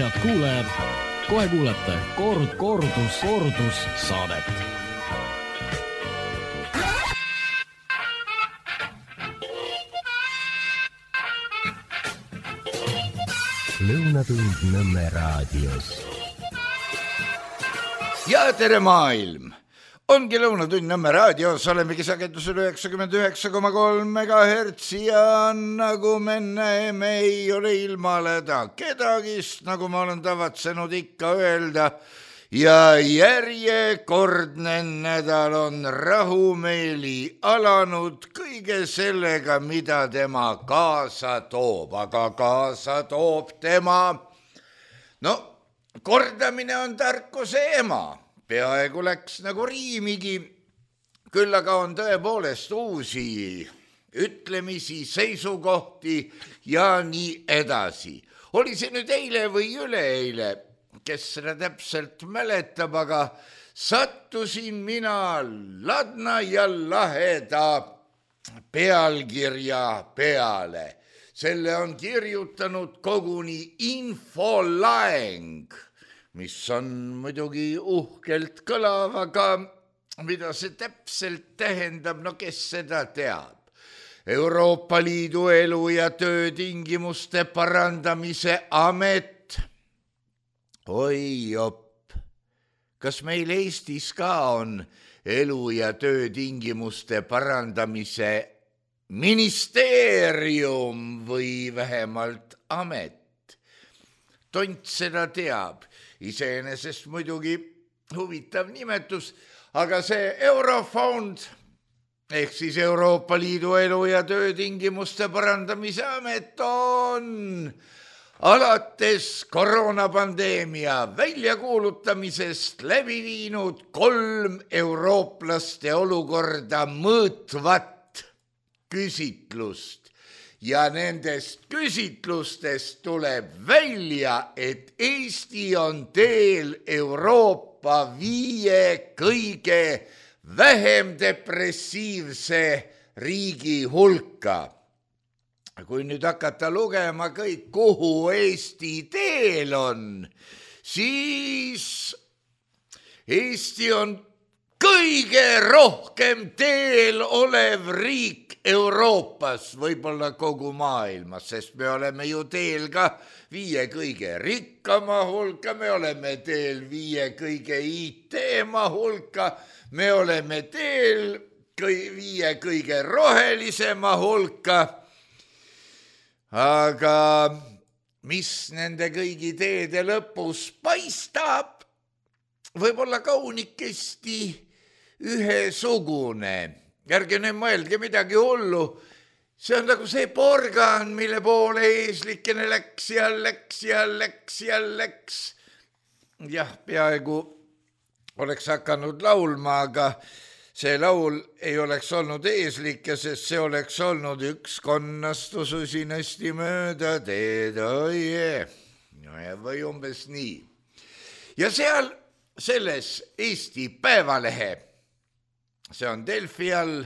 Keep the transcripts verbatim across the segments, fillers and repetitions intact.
head kuulajad, kohe kuulete kord, kordus, kordus saadet. Lõunatund Nõmme raadios. Ja tere maailm! Ongi Lõunatund Nõmme raadios, olemegi sagedusel üheksakümmend üheksa koma kolm megahertsi ja nagu me näeme, ei ole ilmaleda kedagist, nagu ma olen tavatsenud ikka öelda. Ja järjekordne nädal on rahumeeli alanud kõige sellega, mida tema kaasa toob, aga kaasa toob tema. No, kordamine on tarkuse ema. Peaaegu läks nagu riimigi, küll aga on tõepoolest uusi ütlemisi, seisukohti ja nii edasi. Oli see nüüd eile või üleeile, kes seda täpselt mäletab, aga sattusin mina ladna ja laheda pealkirja peale. Selle on kirjutanud koguni infolaeng, mis on muidugi uhkelt kõlav, aga mida see täpselt tähendab, no kes seda teab. Euroopa Liidu elu- ja töötingimuste parandamise amet. Oi jopp, kas meil Eestis ka on elu- ja töötingimuste parandamise ministeerium või vähemalt amet? Tont seda teab. Iseenesest muidugi huvitav nimetus, aga see Eurofond, ehk siis Euroopa Liidu elu- ja töötingimuste parandamise amet on alates koroonapandeemia väljakuulutamisest läbi viinud kolm eurooplaste olukorda mõõtvat küsitlust. Ja nendest küsitlustest tuleb välja, et Eesti on teel Euroopa viie kõige vähem depressiivse riigi hulka. Kui nüüd hakata lugema kõik, kuhu Eesti teel on, siis Eesti on kõige rohkem teel olev riik Euroopas, võib-olla kogu maailmas, sest me oleme ju teel ka viie kõige rikkama hulka, me oleme teel viie kõige I T-ma hulka, me oleme teel viie kõige rohelisema hulka. Aga mis nende kõigi teede lõpus paistab, võib-olla kaunikesti ühesugune. Järge nüüd mõelge midagi hullu. See on nagu see porgan, mille poole eeslikene läks ja läks ja läks ja läks. Jah, peaaegu oleks hakanud laulma, aga see laul ei oleks olnud eeslike, sest see oleks olnud üks konnastus usinasti mööda teed, oie. No ja või umbes nii. Ja seal selles Eesti Päevalehe, see on Delfi all,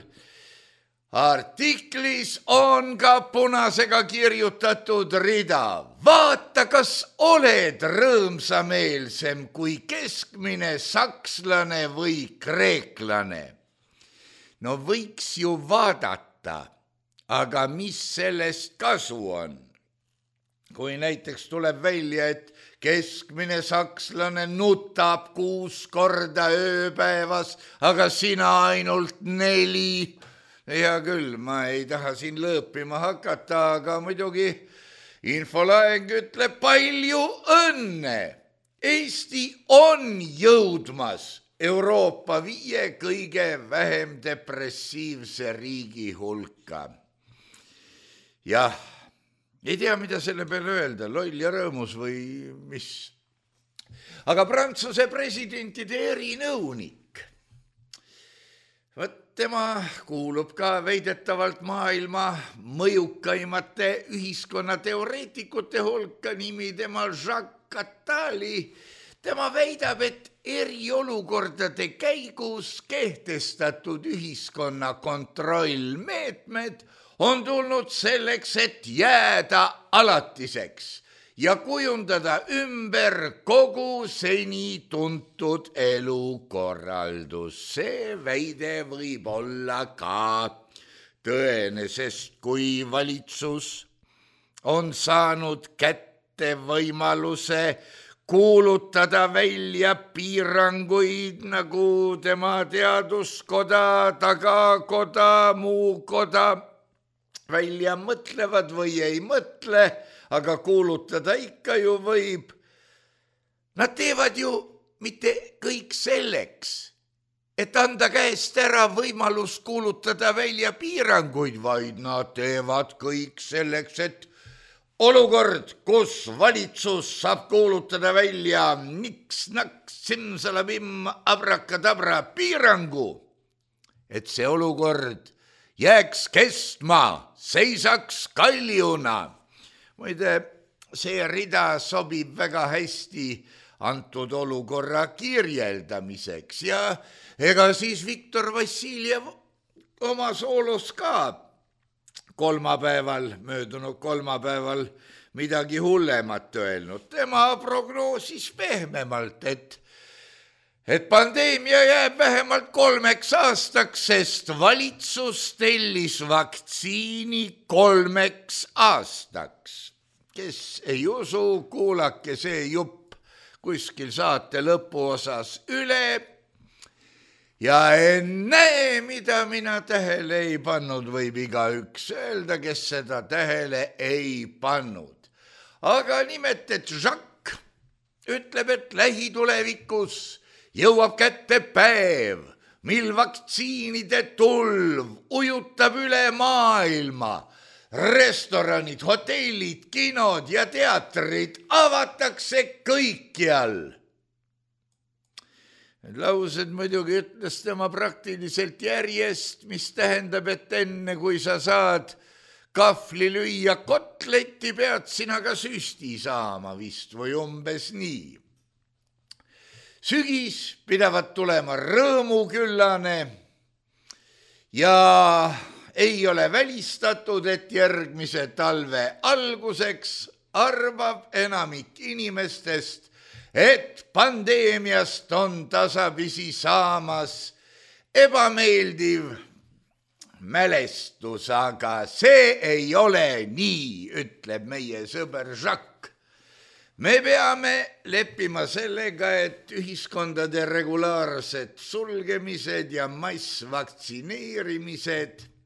artiklis on ka punasega kirjutatud rida. Vaata, kas oled rõõmsameelsem kui keskmine sakslane või kreeklane. No võiks ju vaadata, aga mis sellest kasu on? Kui näiteks tuleb välja, et keskmine sakslane nutab kuus korda ööpäevas, aga sina ainult neli. Ja küll, ma ei taha siin lõõpima hakata, aga muidugi infolaeng ütleb palju õnne. Eesti on jõudmas Euroopa viie kõige vähem depressiivse riigi hulka. Jah. Ei tea, mida selle peale öelda, loll ja rõõmus või mis. Aga Prantsuse presidentide erinõunik, võt tema kuulub ka veidetavalt maailma mõjukaimate ühiskonnateoreetikute hulka, nimi tema Jacques Attali. Tema väidab, et eriolukordade käigus kehtestatud ühiskonna kontrollmeetmed on tulnud selleks, et jääda alatiseks ja kujundada ümber kogu seni tuntud elukorraldus. See väide võib olla ka tõene, sest kui valitsus on saanud kätte võimaluse kuulutada välja piiranguid, nagu tema teaduskoda, tagakoda, muu koda välja mõtlevad või ei mõtle, aga kuulutada ikka ju võib. Nad teevad ju mitte kõik selleks, et anda käest ära võimalus kuulutada välja piiranguid, vaid nad teevad kõik selleks, et olukord, kus valitsus saab kuulutada välja niks-naks, simsalabim, abrakadabra piirangu, et see olukord jääks kestma, seisaks kaljuna. Muide, see rida sobib väga hästi antud olukorra kirjeldamiseks ja ega siis Viktor Vassiljev oma soolos ka kolmapäeval, möödunud kolmapäeval midagi hullemat öelnud. Tema prognoosis pehmemalt, et, et pandeemia jääb vähemalt kolmeks aastaks, sest valitsus tellis vaktsiini kolmeks aastaks. Kes ei usu, kuulake see jupp kuskil saate lõpuosas üle. Ja enne, mida mina tähele ei pannud, võib igaüks öelda, kes seda tähele ei pannud. Aga nimelt, et Jacques ütleb, et lähitulevikus jõuab kätte päev, mil vaktsiinide tulv ujutab üle maailma. Restoranid, hotellid, kinod ja teatrid avatakse kõikjal. Need laused muidugi ütles tema praktiliselt järjest, mis tähendab, et enne kui sa saad kahvli lüüa kotletti, pead sina ka süsti saama vist või umbes nii. Sügis pidavat tulema rõõmuküllane ja ei ole välistatud, et järgmise talve alguseks arvab enamik inimestest, et pandeemiast on tasapisi saamas ebameeldiv mälestus, aga see ei ole nii, ütleb meie sõber Jacques. Me peame leppima sellega, et ühiskondade regulaarsed sulgemised ja massvaktsineerimised,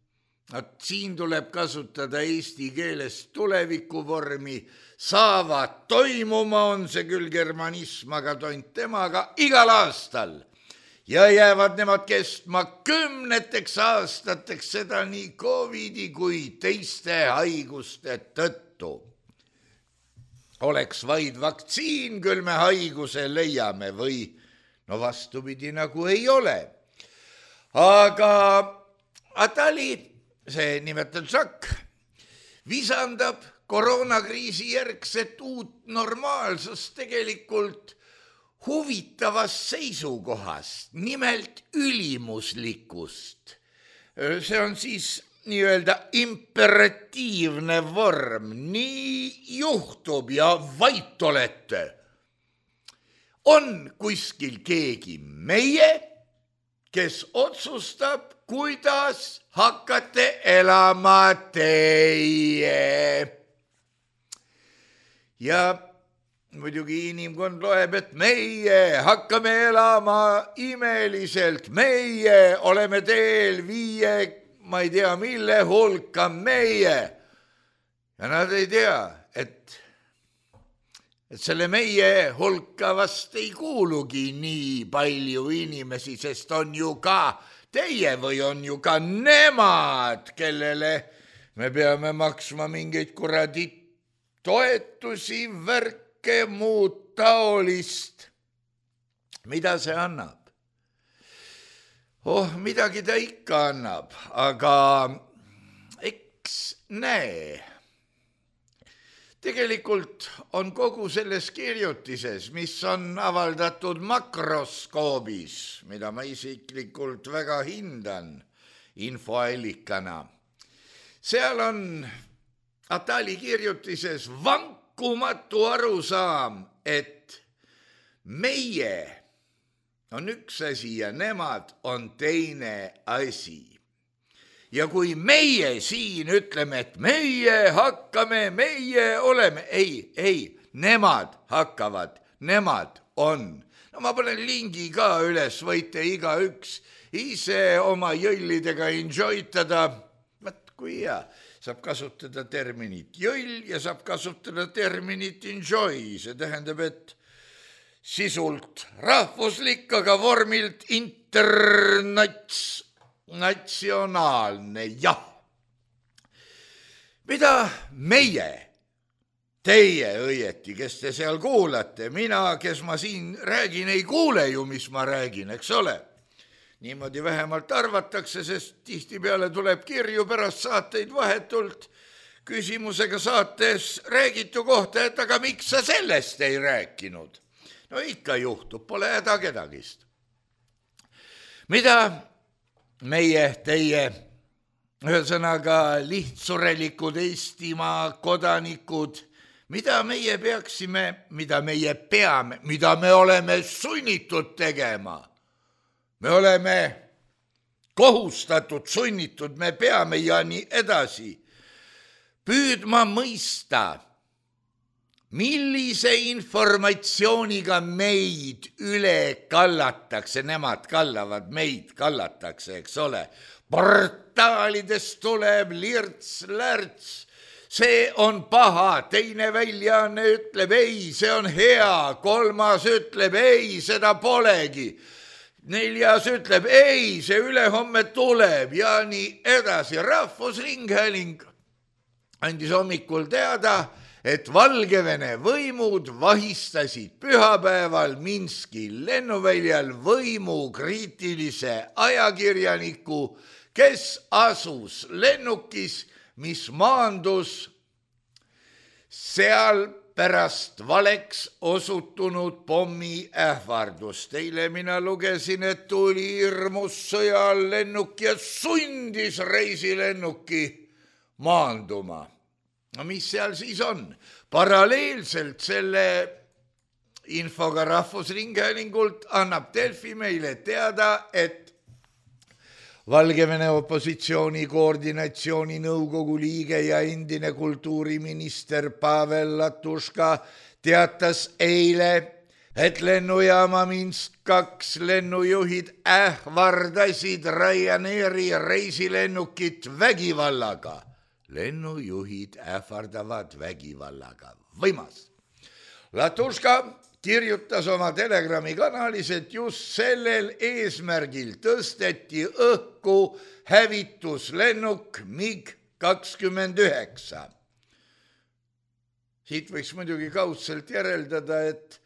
et siin tuleb kasutada eesti keeles tulevikuvormi, saavad toimuma, on see küll germanism, aga tont temaga igal aastal. Ja jäävad nemad kestma kümneteks aastateks, seda nii Covidi kui teiste haiguste tõttu. Oleks vaid vaktsiin, küll me haiguse leiame või no vastupidi nagu ei ole. Aga Atali, see nimetab Jacques, visandab koroonakriisi järgset uut normaalsust tegelikult huvitavast seisukohast, nimelt ülimuslikust. See on siis nii-öelda imperatiivne vorm, nii juhtub ja vait olete. On kuskil keegi meie, kes otsustab, kuidas hakkate elama teie. Ja muidugi inimkond loeb, et meie hakkame elama imeliselt, meie oleme teel viie, ma ei tea mille hulka meie. Ja nad ei tea, et, et selle meie hulka vast ei kuulugi nii palju inimesi, sest on ju ka teie või on ju ka nemad, kellele me peame maksma mingeid kuradi toetusi, värke, muud taolist. Mida see annab? Oh, midagi ta ikka annab, aga eks näe. Tegelikult on kogu selles kirjutises, mis on avaldatud Makroskoobis, mida ma isiklikult väga hindan infoallikana. Seal on Atali kirjutises vank lahkumatu arusaam, et meie on üks asi ja nemad on teine asi. Ja kui meie siin ütleme, et meie hakkame, meie oleme, ei, ei, nemad hakkavad, nemad on. No ma panen lingi ka üles, võite igaüks ise oma jõllidega enjoytada. Vaat kui hea, saab kasutada terminit jõll ja saab kasutada terminit enjoy. See tähendab, et sisult rahvuslik, aga vormilt internats. Natsionaalne, jah. Mida meie, teie õieti, kes te seal kuulate, mina, kes ma siin räägin, ei kuule ju, mis ma räägin, eks ole. Niimoodi vähemalt arvatakse, sest tihtipeale tuleb kirju pärast saateid vahetult küsimusega saates räägitu kohta, et aga miks sa sellest ei rääkinud? No ikka juhtub, pole häda kedagist. Mida meie, teie, ühesõnaga lihtsurelikud Eestimaa kodanikud, mida meie peaksime, mida meie peame, mida me oleme sunnitud tegema. Me oleme kohustatud, sunnitud, me peame ja nii edasi. Püüdma mõista, millise informatsiooniga meid üle kallatakse, nemad kallavad, meid kallatakse, eks ole. Portaalidest tuleb lirts-lärts, see on paha, teine väljaanne ütleb ei, see on hea, kolmas ütleb ei, seda polegi. Neljas ütleb ei, see ülehomme tuleb ja nii edasi. Rahvusringhääling andis hommikul teada, et Valgevene võimud vahistasid pühapäeval Minski lennuväljal võimukriitilise ajakirjaniku, kes asus lennukis, mis maandus seal pärast valeks osutunud pommi ähvardust. Eile mina lugesin, et tuli hirmus sõjal lennuk ja sundis reisilennuki maanduma. No mis seal siis on? Paralleelselt selle infoga Rahvusringhäälingult annab Delfi meile teada, et Valgevene opositsiooni koordinatsiooni nõukogu liige ja endine kultuuriminister Pavel Latuška teatas eile, et lennujaama Minsk kaks lennujuhid ähvardasid Ryanairi reisilennukit vägivallaga. Lennujuhid ähvardavad vägivallaga. Võimas. Latuška kirjutas oma Telegrami kanalis, et just sellel eesmärgil tõsteti õhku hävituslennuk MiG kakskümmend üheksa. Siit võiks muidugi kaudselt järeldada, et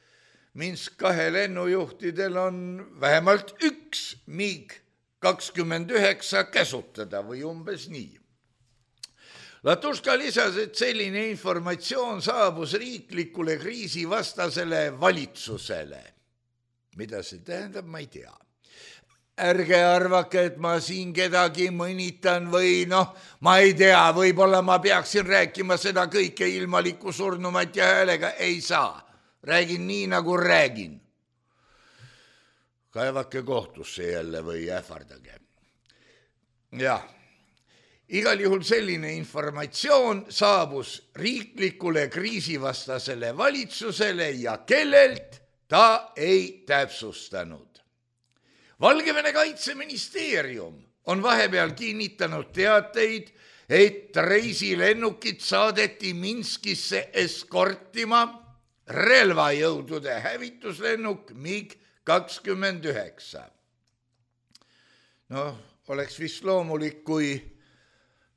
Minsk kahe lennujuhtidel on vähemalt üks MiG kakskümmend üheksa käsutada või umbes nii. Latuška lisas, et selline informatsioon saabus riiklikule kriisivastasele valitsusele. Mida see tähendab, ma ei tea. Ärge arvake, et ma siin kedagi mõnitan või noh, ma ei tea, võib-olla ma peaksin rääkima seda kõike ilmaliku surnumat ja häälega, ei saa. Räägin nii, nagu räägin. Kaevake kohtusse jälle või ähvardage. Jah. Igal juhul selline informatsioon saabus riiklikule kriisivastasele valitsusele ja kellelt ta ei täpsustanud. Valgevene kaitseministeerium on vahepeal kinnitanud teateid, et reisilennukid saadeti Minskisse eskortima relvajõudude hävituslennuk MiG kakskümmend üheksa. No, oleks vist loomulik, kui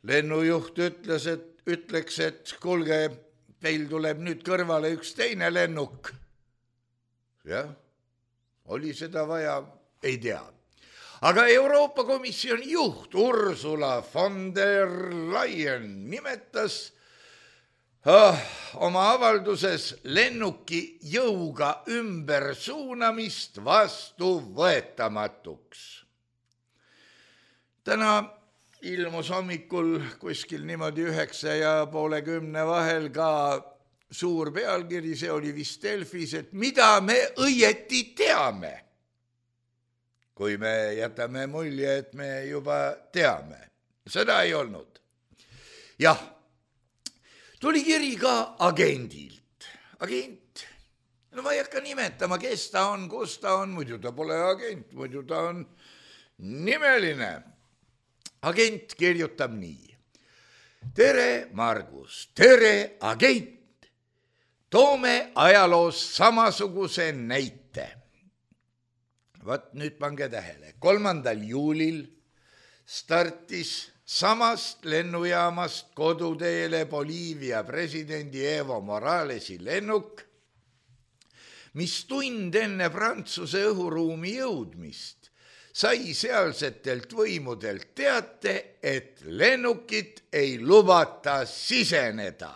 lennujuht ütles, et, ütleks, et kuulge, teil tuleb nüüd kõrvale üks teine lennuk. Jah, oli seda vaja, ei tea. Aga Euroopa Komisjoni juht Ursula von der Leyen nimetas oh, oma avalduses lennuki jõuga ümbersuunamist vastuvõetamatuks. Täna ilmus hommikul kuskil niimoodi üheksa ja poole kümne vahel ka suur pealkiri, see oli vist Delfis, et mida me õieti teame, kui me jätame mulje, et me juba teame. Seda ei olnud. Jah, tuli kiri ka agendilt. Agent, no ma ei hakka nimetama, kes ta on, kus ta on, muidu ta pole agent, muidu ta on nimeline. Agent kirjutab nii. Tere, Margus, tere, agent. Toome ajaloos samasuguse näite. Vaat nüüd pange tähele. kolmandal juulil startis samast lennujaamast koduteele Boliivia presidendi Evo Moralesi lennuk, mis tund enne Prantsuse õhuruumi jõudmist sai sealsetelt võimudelt teate, et lennukit ei lubata siseneda.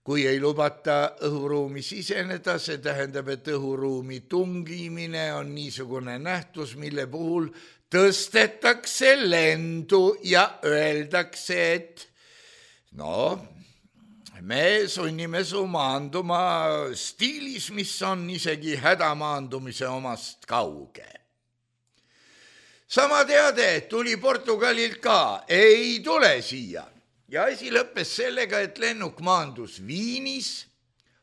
Kui ei lubata õhuruumi siseneda, see tähendab, et õhuruumi tungimine on niisugune nähtus, mille puhul tõstetakse lendu ja öeldakse, et no, me sunnime su maanduma stiilis, mis on isegi hädamaandumise omast kauge. Sama teade tuli Portugalilt ka, ei tule siia. Ja asi lõppes sellega, et lennuk maandus Viinis,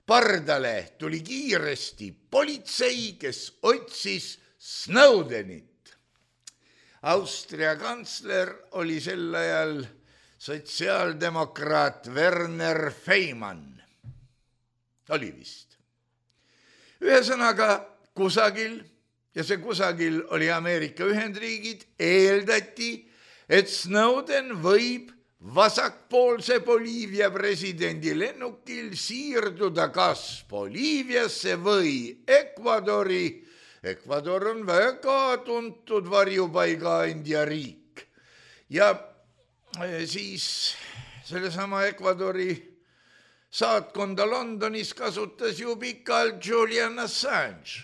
pardale tuli kiiresti politsei, kes otsis Snowdenit. Austria kantsler oli sel ajal sotsiaaldemokraat Werner Feimann. Oli vist. Ühesõnaga kusagil, ja see kusagil oli Ameerika Ühendriigid, eeldati, et Snowden võib vasakpoolse Boliivia presidendi lennukil siirduda kas Boliiviasse või Ecuadori. Ecuador on väga tuntud varjupaigaandja riik. Ja siis sellesama Ecuadori saatkonda Londonis kasutas ju pikalt Julian Assange.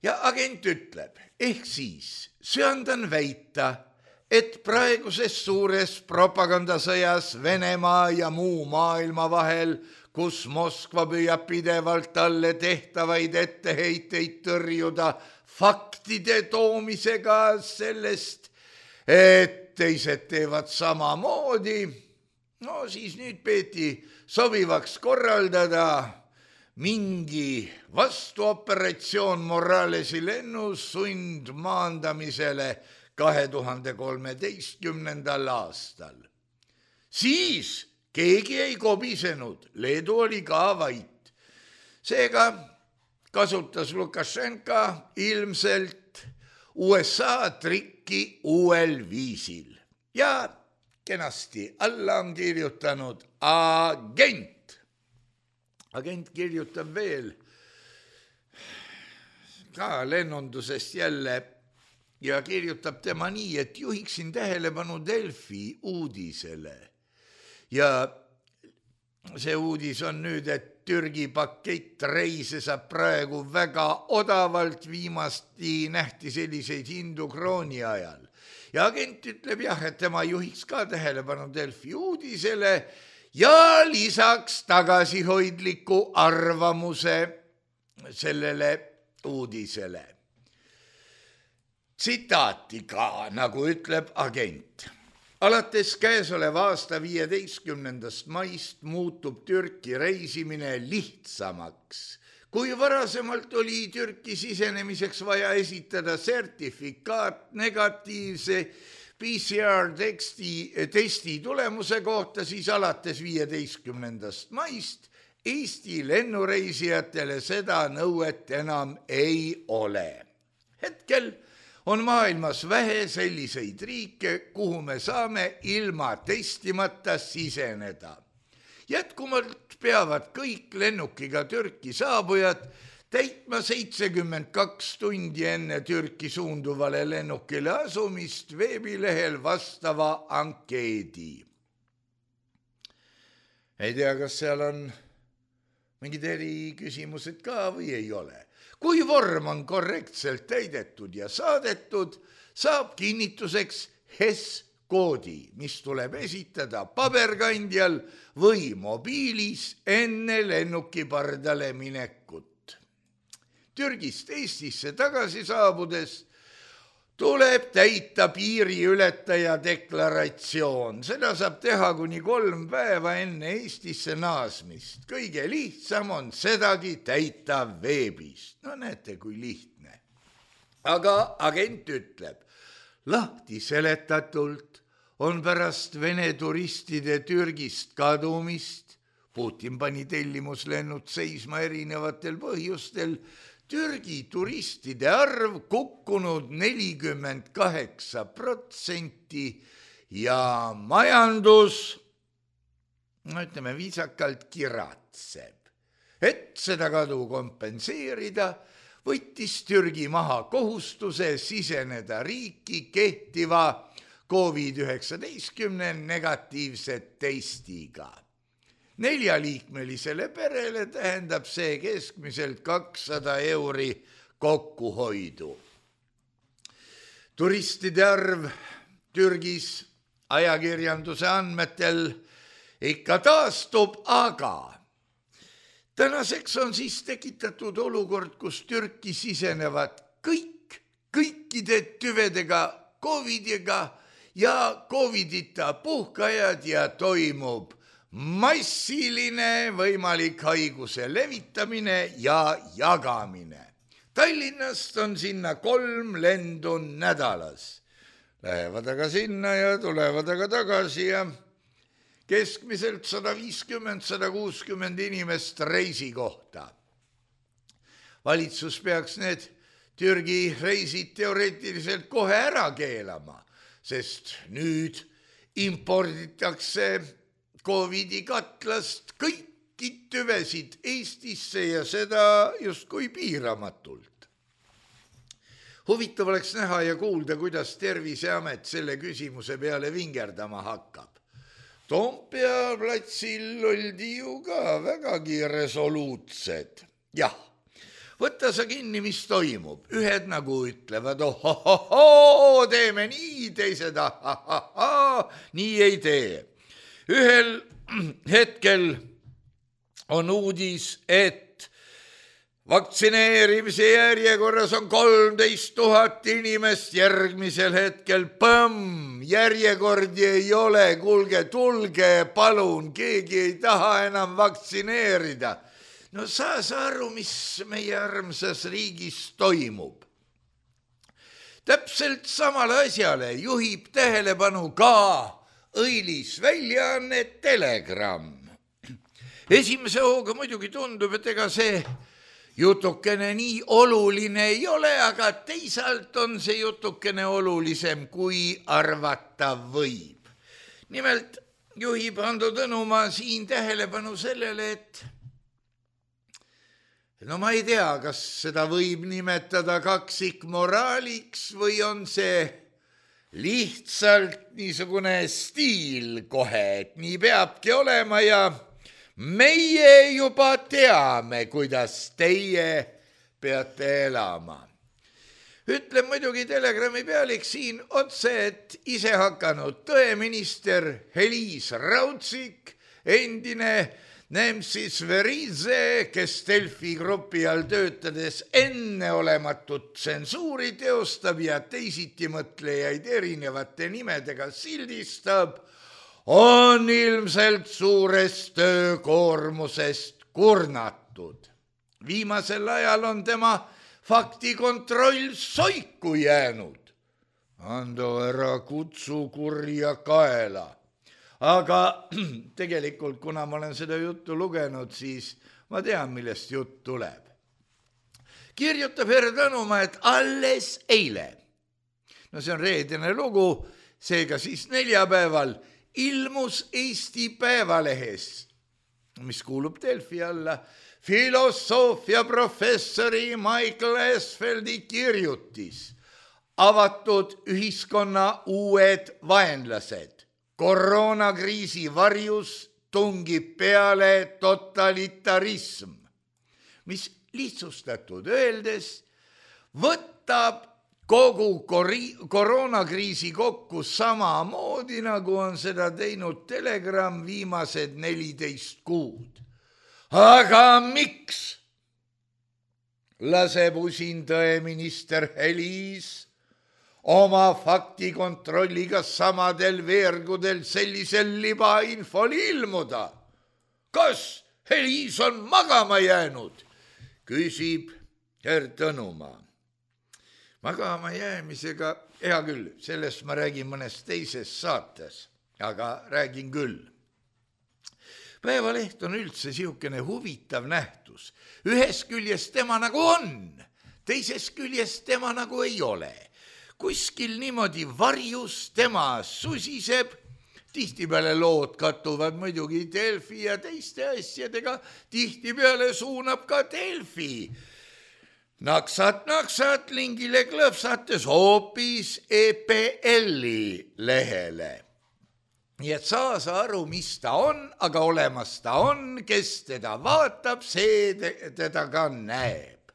Ja agent ütleb, ehk siis söandan väita, et praeguses suures propagandasõjas Venemaa ja muu maailma vahel, kus Moskva püüab pidevalt talle tehtavaid etteheiteid tõrjuda faktide toomisega sellest, et teised teevad samamoodi, no siis nüüd peeti sobivaks korraldada mingi vastuoperatsioon Moralesi lennus sundmaandamisele kahe tuhande kolmeteistkümnendal aastal. Siis keegi ei kobisenud, Leedu oli ka vait. Seega kasutas Lukašenka ilmselt U S A trikki uuel viisil. Ja kenasti alla on kirjutanud agent. Agent kirjutab veel ka lennundusest jälle ja kirjutab tema nii, et juhiksin tähelepanu Delfi uudisele. Ja see uudis on nüüd, et Türgi pakett reise saab praegu väga odavalt, viimasti nähti selliseid hindu krooni ajal. Ja agent ütleb jah, et tema juhiks ka tähelepanu Delfi uudisele ja lisaks tagasihoidliku arvamuse sellele uudisele. Tsitaati ka, nagu ütleb agent. Alates käesoleva aasta viieteistkümnendast maist muutub Türki reisimine lihtsamaks. Kui varasemalt oli Türki sisenemiseks vaja esitada sertifikaat negatiivse P C R teksti, testi tulemuse kohta, siis alates viieteistkümnendast maist Eesti lennureisijatele seda nõuet enam ei ole. Hetkel on maailmas vähe selliseid riike, kuhu me saame ilma testimata siseneda. Jätkumalt peavad kõik lennukiga Türki saabujad täitma seitsekümmend kaks tundi enne Türki suunduvale lennukile asumist veebilehel vastava ankeedi. Ei tea, kas seal on mingid eriküsimused ka või ei ole. Kui vorm on korrektselt täidetud ja saadetud, saab kinnituseks H E S koodi, mis tuleb esitada paberkandjal või mobiilis enne lennuki pardale minekut. Türgist Eestisse tagasi saabudes tuleb täita piiriületaja deklaratsioon. Seda saab teha kuni kolm päeva enne Eestisse naasmist. Kõige lihtsam on sedagi täita veebist. No näete, kui lihtne. Aga agent ütleb, lahti seletatult on pärast Vene turistide Türgist kadumist, Putin pani tellimuslennud seisma erinevatel põhjustel, Türgi turistide arv kukkunud nelikümmend kaheksa protsenti ja majandus, no ütleme viisakalt, kiratseb. Et seda kadu kompenseerida, võttis Türgi maha kohustuse siseneda riiki kehtiva covid üheksateist negatiivse testiga. Neljaliikmelisele perele tähendab see keskmiselt kakssada euri kokkuhoidu. Turistide arv Türgis ajakirjanduse andmetel ikka taastub, aga tänaseks on siis tekitatud olukord, kus Türki sisenevad kõik, kõikide tüvedega, covidiga ja covidita puhkajad ja toimub massiline võimalik haiguse levitamine ja jagamine. Tallinnast on sinna kolm lendu nädalas. Lähevad aga sinna ja tulevad aga tagasi ja keskmiselt sada viiskümmend – sada kuuskümmend inimest reisi kohta. Valitsus peaks need Türgi reisid teoreetiliselt kohe ära keelama, sest nüüd imporditakse Covidi katlast kõiki tüvesid Eestisse ja seda justkui piiramatult. Huvitav oleks näha ja kuulda, kuidas Terviseamet selle küsimuse peale vingerdama hakkab. Toompea platsil oldi ju ka vägagi resoluutsed. Jah, võtta sa kinni, mis toimub. Ühed nagu ütlevad, ohohoho, teeme nii, teised ahahaha, nii ei tee. Ühel hetkel on uudis, et vaktsineerimise järjekorras on kolmteist tuhat inimest, järgmisel hetkel põmm, järjekordi ei ole, kuulge, tulge, palun, keegi ei taha enam vaktsineerida. No saa sa aru, mis meie armsas riigis toimub. Täpselt samale asjale juhib tähelepanu ka õilis väljaanne Telegram. Esimese hooga muidugi tundub, et ega see jutukene nii oluline ei ole, aga teisalt on see jutukene olulisem, kui arvata võib. Nimelt juhib Ando Tõnumaa siin tähelepanu sellele, et no ma ei tea, kas seda võib nimetada kaksikmoraaliks või on see lihtsalt niisugune stiil kohe, et nii peabki olema ja meie juba teame, kuidas teie peate elama. Ütlen muidugi Telegrami pealik siin otse, et ise hakanud tõeminister Heliis Raudsik, endine Nemsis Verize, kes Delfi grupi all töötades enneolematut tsensuuri teostab ja teisitimõtlejaid erinevate nimedega sildistab, on ilmselt suurest töökoormusest kurnatud. Viimasel ajal on tema faktikontroll soiku jäänud. Ando, ära kutsu kurja kaela. Aga tegelikult, kuna ma olen seda juttu lugenud, siis ma tean, millest jutt tuleb. Kirjutab härra Tõnumaa, et alles eile, no see on reedene lugu, seega siis neljapäeval, ilmus Eesti Päevalehes, mis kuulub Delfi alla, filosoofia professori Michael Esfeldi kirjutis avatud ühiskonna uued vaenlased. Koroonakriisi varjus tungib peale totalitarism, mis lihtsustatud öeldes võtab kogu koroonakriisi kokku samamoodi, nagu on seda teinud Telegram viimased neliteist kuud. Aga miks laseb usin tõeminister Helis oma faktikontrolliga samadel veergudel sellisel libainfol ilmuda? Kas Helis on magama jäänud? Küsib Herr Tõnumaa. Magama jäämisega, hea küll, sellest ma räägin mõnes teises saates, aga räägin küll. Päevaleht on üldse siukene huvitav nähtus. Ühes küljest tema nagu on, teises küljest tema nagu ei ole. Kuskil niimoodi varjus tema susiseb, tihtipeale lood kattuvad muidugi Delfi ja teiste asjadega, tihtipeale suunab ka Delfi. Naksat, naksat, lingile klõpsates hoopis E P L-i lehele. Nii et saa sa aru, mis ta on, aga olemas ta on, kes teda vaatab, see teda ka näeb.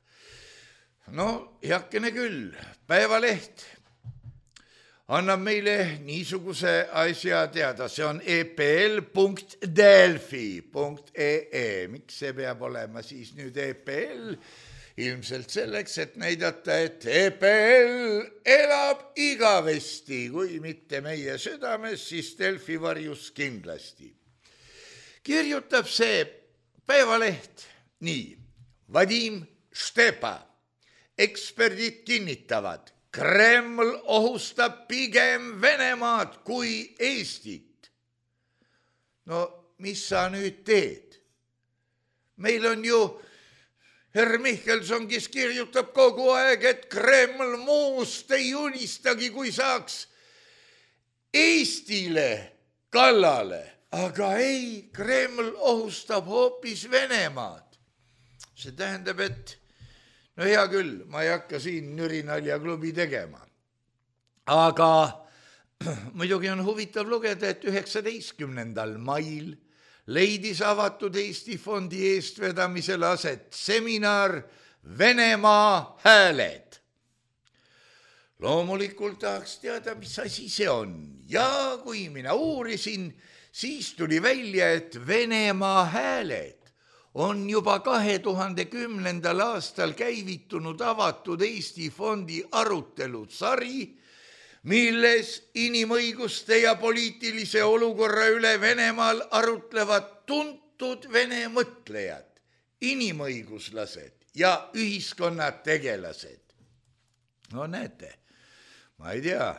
No, heakene küll, Päevaleht annab meile niisuguse asja teada, see on e p l punkt delfi punkt e e. Miks see peab olema siis nüüd E P L? Ilmselt selleks, et näidata, et E P L elab igavesti, kui mitte meie südames, siis Delfi varjus kindlasti. Kirjutab see Päevaleht nii. Vadim Štepa. Eksperdid kinnitavad, Kreml ohustab pigem Venemaad kui Eestit. No, mis sa nüüd teed? Meil on ju Herr Michelson, kes kirjutab kogu aeg, et Kreml muust ei unistagi, kui saaks Eestile kallale. Aga ei, Kreml ohustab hoopis Venemaad. See tähendab, et no hea küll, ma ei hakka siin Nürinaljaklubi tegema. Aga muidugi on huvitav lugeda, et üheksateistkümnendal mail leidis avatud Eesti fondi eestvedamisel aset seminar Venemaa hääled. Loomulikult tahaks teada, mis asi see on. Ja kui mina uurisin, siis tuli välja, et Venemaa hääled on juba kahe tuhande kümnendal aastal käivitunud avatud Eesti fondi arutelusari, milles inimõiguste ja poliitilise olukorra üle Venemaal arutlevad tuntud vene mõtlejad, inimõiguslased ja ühiskonnategelased. No näete, ma ei tea,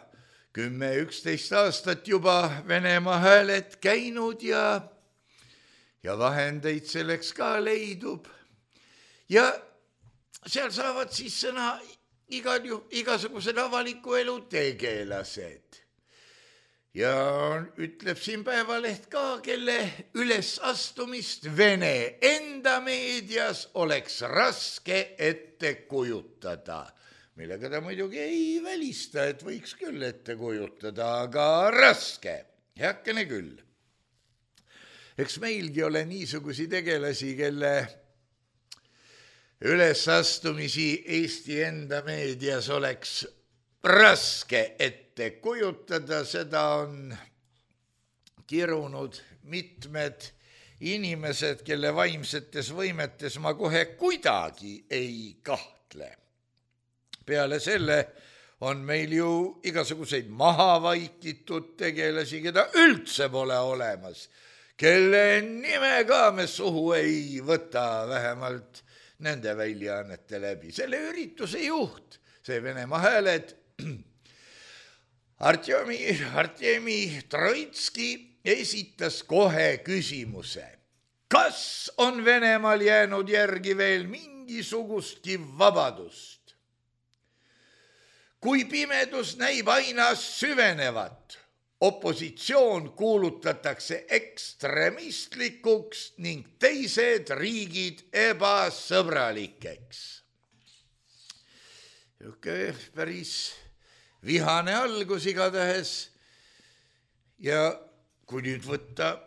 kümme üksteist aastat juba Venemaa hääled käinud ja, ja vahendeid selleks ka leidub. Ja seal saavad siis sõna igal ju, igasugused avaliku elu tegelased. Ja ütleb siin Päevaleht ka, kelle ülesastumist Vene enda meedias oleks raske ette kujutada. Millega ta muidugi ei välista, et võiks küll ette kujutada, aga raske, heakene küll. Eks meilgi ole niisugusi tegelasi, kelle ülesastumisi Eesti enda meedias oleks raske ette kujutada, seda on kirunud mitmed inimesed, kelle vaimsetes võimetes ma kohe kuidagi ei kahtle. Peale selle on meil ju igasuguseid maha vaikitud tegelasi, keda üldse pole olemas, kelle nime ka me suhu ei võta, vähemalt nende väljaannete läbi. Selle ürituse juht, see Venemaa hääled, Artjemi, Artjemi Troitski esitas kohe küsimuse. Kas on Venemaal jäänud järgi veel mingisugustki vabadust? Kui pimedus näib aina süvenevat, opositsioon kuulutatakse ekstremistlikuks ning teised riigid ebasõbralikeks. Jõuke päris vihane algus igatahes. Ja kui nüüd võtta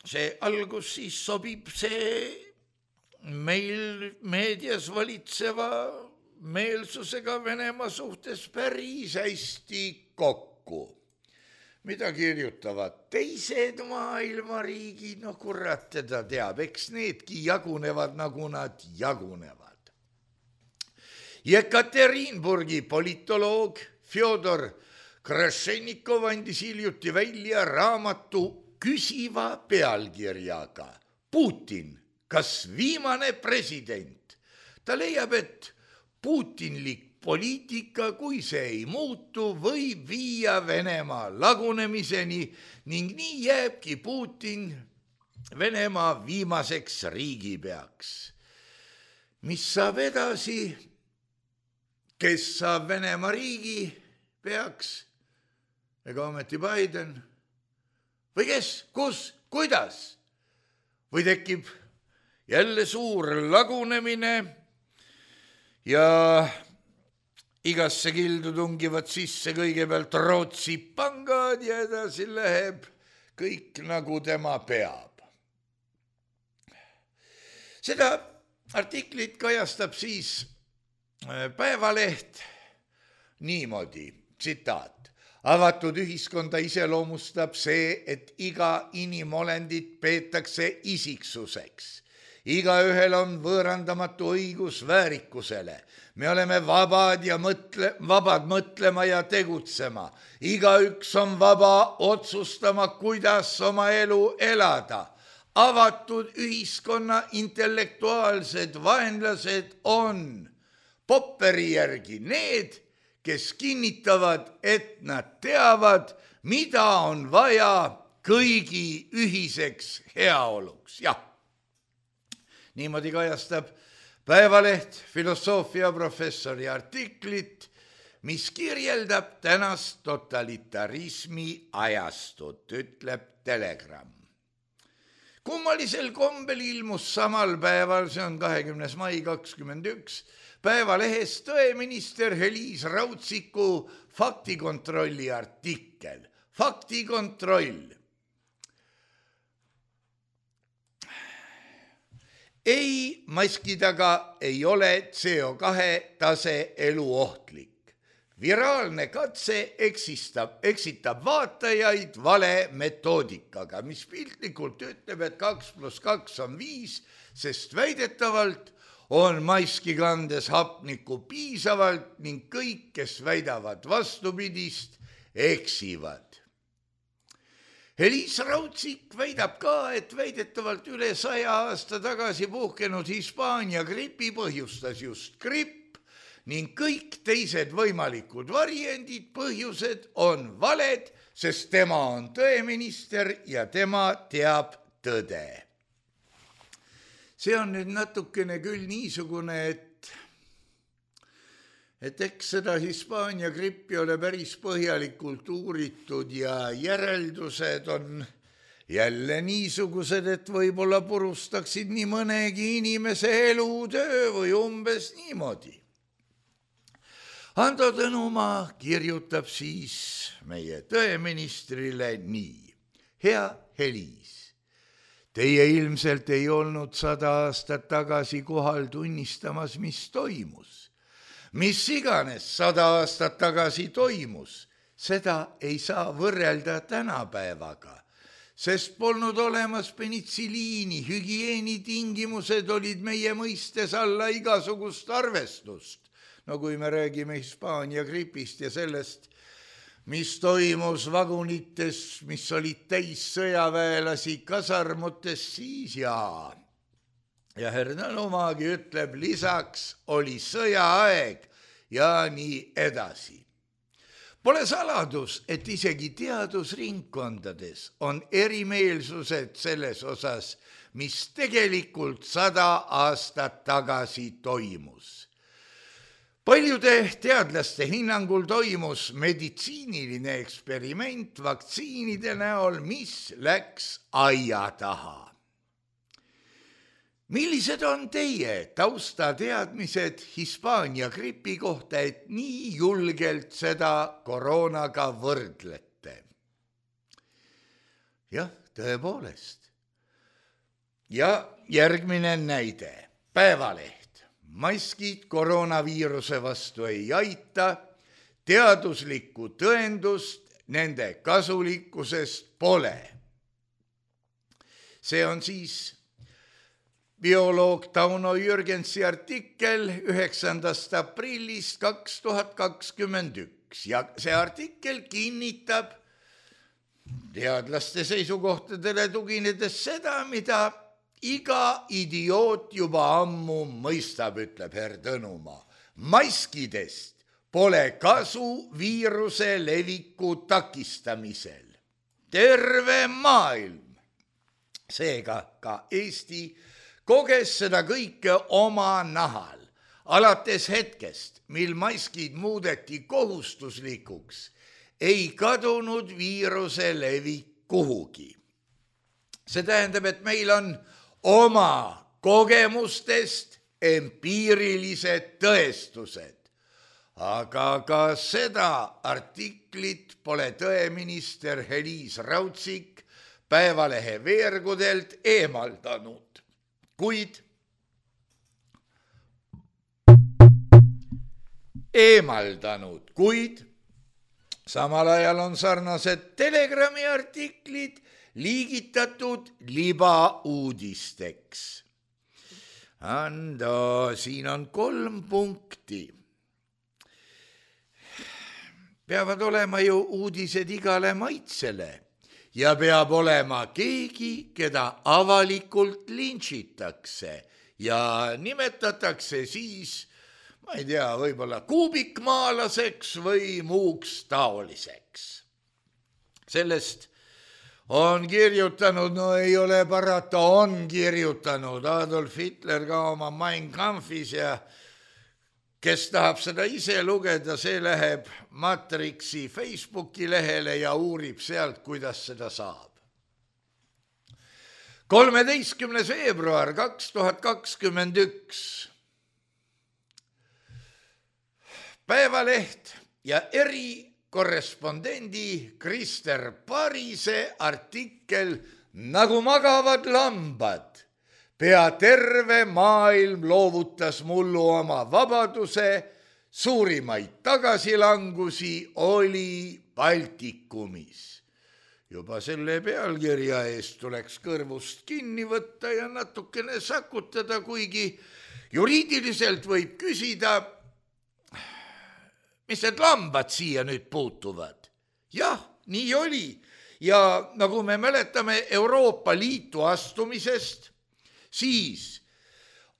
see algus, siis sobib see meil meedias valitseva meelsusega Venemaa suhtes päris hästi kokku. Mida kirjutavad teised maailmariigid, no kurat teda teab, eks needki jagunevad, nagu nad jagunevad. Jekaterinburgi politoloog Fjodor Krašenikov andis hiljuti välja raamatu küsiva pealkirjaga Putin, kas viimane president? Ta leiab, et putinlik poliitika, kui see ei muutu, võib viia Venemaa lagunemiseni ning nii jääbki Putin Venemaa viimaseks riigipeaks. Mis saab edasi? Kes saab Venemaa riigipeaks? Ega ometi Biden? Või kes? Kus? Kuidas? Või tekib jälle suur lagunemine ja igasse kildu tungivad sisse kõigepealt Rootsi pangad ja edasi läheb kõik nagu tema peab. Seda artiklit kajastab siis Päevaleht niimoodi, tsitaat. Avatud ühiskonda iseloomustab see, et iga inimolendit peetakse isiksuseks. Igaühel on võõrandamatu õigus väärikusele. Me oleme vabad ja mõtle, vabad mõtlema ja tegutsema. Igaüks on vaba otsustama, kuidas oma elu elada. Avatud ühiskonna intellektuaalsed vaenlased on Popperi järgi need, kes kinnitavad, et nad teavad, mida on vaja kõigi ühiseks heaoluks. Jah. Niimoodi kajastab Päevaleht filosoofiaprofessori artiklit, mis kirjeldab tänast totalitarismi ajastut, ütleb Telegram. Kummalisel kombel ilmus samal päeval, see on kahekümnes mai kakskümmend üks, Päevalehes tõeminister Heliis Rautsiku faktikontrolli artikkel. Faktikontroll. Ei, maski taga ei ole C O kahe tase eluohtlik. Viraalne katse eksistab, eksitab vaatajaid vale metoodikaga, mis piltlikult ütleb, et kaks pluss kaks on viis, sest väidetavalt on maski kandes hapnikku piisavalt ning kõik, kes väidavad vastupidist, eksivad. Heliis Rautsik väidab ka, et väidetavalt üle saja aasta tagasi puhkenud Hispaania gripi põhjustas just gripp ning kõik teised võimalikud variandid, põhjused on valed, sest tema on tõeminister ja tema teab tõde. See on nüüd natukene küll niisugune, et, et eks seda Hispaania grippi ole päris põhjalikult uuritud ja järeldused on jälle niisugused, et võib-olla purustaksid nii mõnegi inimese elutöö või umbes niimoodi. Ando Tõnumaa kirjutab siis meie tõeministrile nii. Hea Heliis. Teie ilmselt ei olnud sada aastat tagasi kohal tunnistamas, mis toimus. Mis iganes sada aastat tagasi toimus, seda ei saa võrrelda tänapäevaga, sest polnud olemas penitsiliini, hügieenitingimused olid meie mõistes alla igasugust arvestust. No kui me räägime Hispaania gripist ja sellest, mis toimus vagunites, mis olid täis sõjaväelasi kasarmutes, siis jaa. Ja Hernalumagi ütleb, lisaks oli sõjaaeg ja nii edasi. Pole saladus, et isegi teadusringkondades on erimeelsused selles osas, mis tegelikult sada aastat tagasi toimus. Paljude teadlaste hinnangul toimus meditsiiniline eksperiment vaktsiinide näol, mis läks aia taha. Millised on teie taustateadmised Hispaania gripi kohta, et nii julgelt seda koroonaga võrdlete? Jah, tõepoolest. Ja järgmine näide. Päevaleht. maskid koroonaviiruse vastu ei aita, teaduslikku tõendust nende kasulikkusest pole. See on siis bioloog Tauno Jürgensi artikkel üheksandast aprillist kaks tuhat kakskümmend üks ja see artikkel kinnitab teadlaste seisukohtadele tuginedes seda, mida iga idioot juba ammu mõistab, ütleb Herr Tõnumaa. Maskidest pole kasu viiruse leviku takistamisel. Terve maailm, seega ka Eesti, koges seda kõike oma nahal. Alates hetkest, mil maskid muudeti kohustuslikuks, ei kadunud viiruse levik kuhugi. See tähendab, et meil on oma kogemustest empiirilised tõestused. Aga ka seda artiklit pole tõeminister Heliis Raudsik Päevalehe veergudelt eemaldanud. Kuid eemaldanud, kuid samal ajal on sarnased Telegrami artiklid liigitatud libauudisteks. Ando, siin on kolm punkti. Peavad olema ju uudised igale maitsele ja peab olema keegi, keda avalikult lintšitakse ja nimetatakse siis, ma ei tea, võib-olla kuubikmaalaseks või muuks taoliseks. Sellest on kirjutanud, no ei ole parata, on kirjutanud Adolf Hitler ka oma Mein Kampfis ja kes tahab seda ise lugeda, see läheb Matrixi Facebooki lehele ja uurib sealt, kuidas seda saab. kolmeteistkümnes veebruar kaks tuhat kakskümmend üks. Päevaleht ja erikorrespondendi Krister Parise artikkel Nagu magavad lambad. Pea terve maailm loovutas mullu oma vabaduse, suurimaid tagasilangusi oli Baltikumis. Juba selle pealkirja eest tuleks kõrvust kinni võtta ja natukene sakutada, kuigi juriidiliselt võib küsida, mis need lambad siia nüüd puutuvad? Jah, nii oli. Ja nagu me mäletame Euroopa Liitu astumisest, siis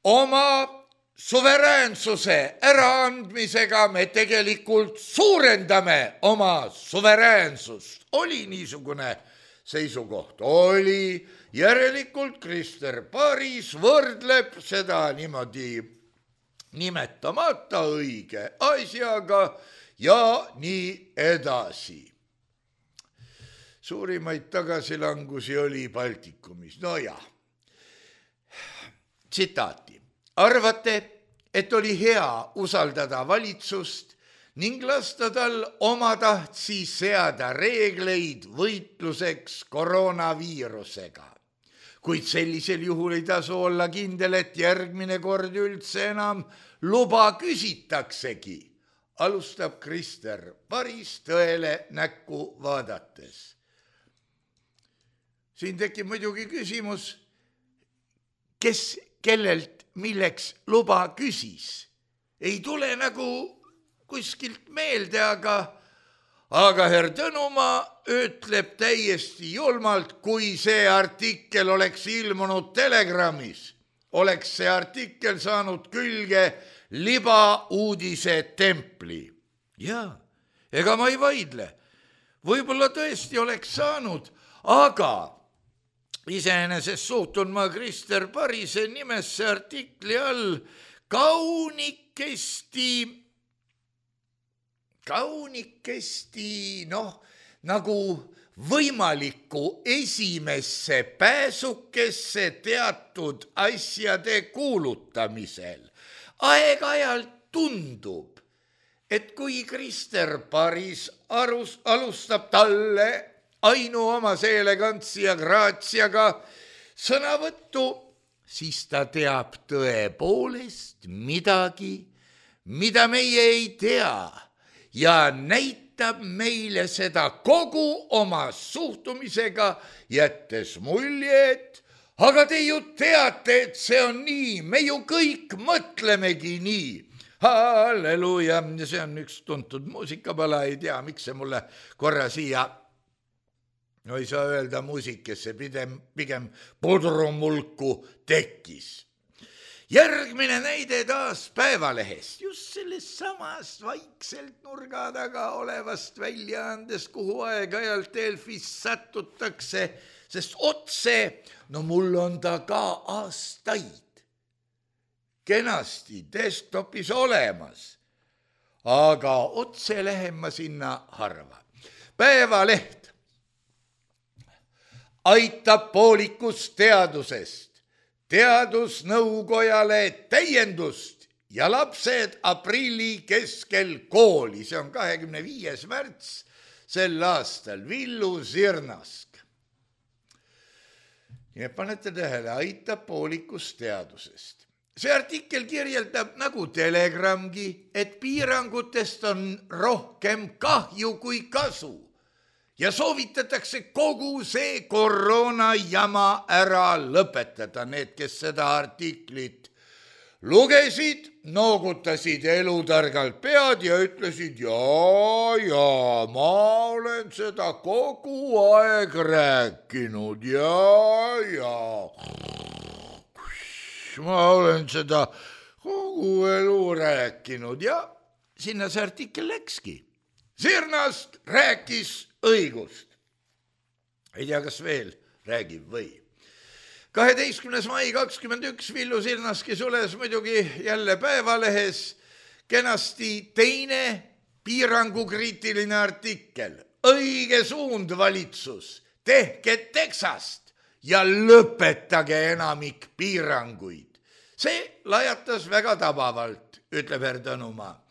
oma suveräänsuse äraandmisega me tegelikult suurendame oma suveräänsust. Oli niisugune seisukoht. Oli järelikult Krister Paris võrdleb seda niimoodi nimetamata õige asjaga ja nii edasi. Suurimaid tagasilangusi oli Baltikumis. No jah. Tsitaati. Arvate, et oli hea usaldada valitsust ning lasta tal omatahtsi seada reegleid võitluseks koroonaviirusega. Kuid sellisel juhul ei tasu olla kindel, et järgmine kord üldse enam luba küsitaksegi, alustab Krister Paris tõele näkku vaadates. Siin tekib muidugi küsimus, kes kellelt milleks luba küsis. Ei tule nagu kuskilt meelde, aga, aga Herr Tõnumaa ütleb täiesti julmalt, kui see artikkel oleks ilmunud Telegramis, oleks see artikkel saanud külge libauudise templi. Jaa, ega ma ei vaidle. Võib-olla tõesti oleks saanud, aga iseenesest suhtun ma Krister Parise nimesse artikli all kaunikesti, kaunikesti, noh, nagu võimalikku esimesse pääsukesse teatud asjade kuulutamisel. Aeg-ajalt tundub, et kui Krister Paris arus, alustab talle ainuomase elegantsi ja graatsiaga sõnavõttu, siis ta teab tõepoolest midagi, mida meie ei tea ja näitab meile seda kogu oma suhtumisega, jättes mulje, et aga te ju teate, et see on nii, me ju kõik mõtlemegi nii. Halleluuja, see on üks tuntud muusikapala, ei tea, miks see mulle korra siia, no ei saa öelda muusikesse, pigem, pigem pudrumulku tekkis. Järgmine näide taas Päevalehest, just sellest samast vaikselt nurga taga olevast väljaandest, kuhu aeg-ajalt Delfis satutakse, sest otse, no mul on ta ka aastaid kenasti desktopis olemas, aga otse lähen ma sinna harva. Päevaleht aitab poolikust teadusest, teadusnõukojale täiendust ja lapsed aprilli keskel kooli. See on kahekümne viies märts sel aastal, Villu Sirnask. Ja panete tähele, aitab poolikust teadusest. See artikkel kirjeldab nagu Telegramgi, et piirangutest on rohkem kahju kui kasu ja soovitatakse kogu see koroona jama ära lõpetada. Need, kes seda artiklit lugesid, noogutasid elutargalt pead ja ütlesid, jaa, jaa, ma olen seda kogu aeg rääkinud, jaa, jaa. Ma olen seda kogu elu rääkinud ja sinna see artikkel läkski. Sirnast rääkis õigust. Ei tea, kas veel räägib või. kaheteistkümnes mai kakskümmend üks Villu Sirnaski sules muidugi jälle Päevalehes kenasti teine piirangukriitiline artikkel. Õige suund valitsus, tehke Texast ja lõpetage enamik piiranguid. See lajatas väga tabavalt, ütleb Erdanumaa.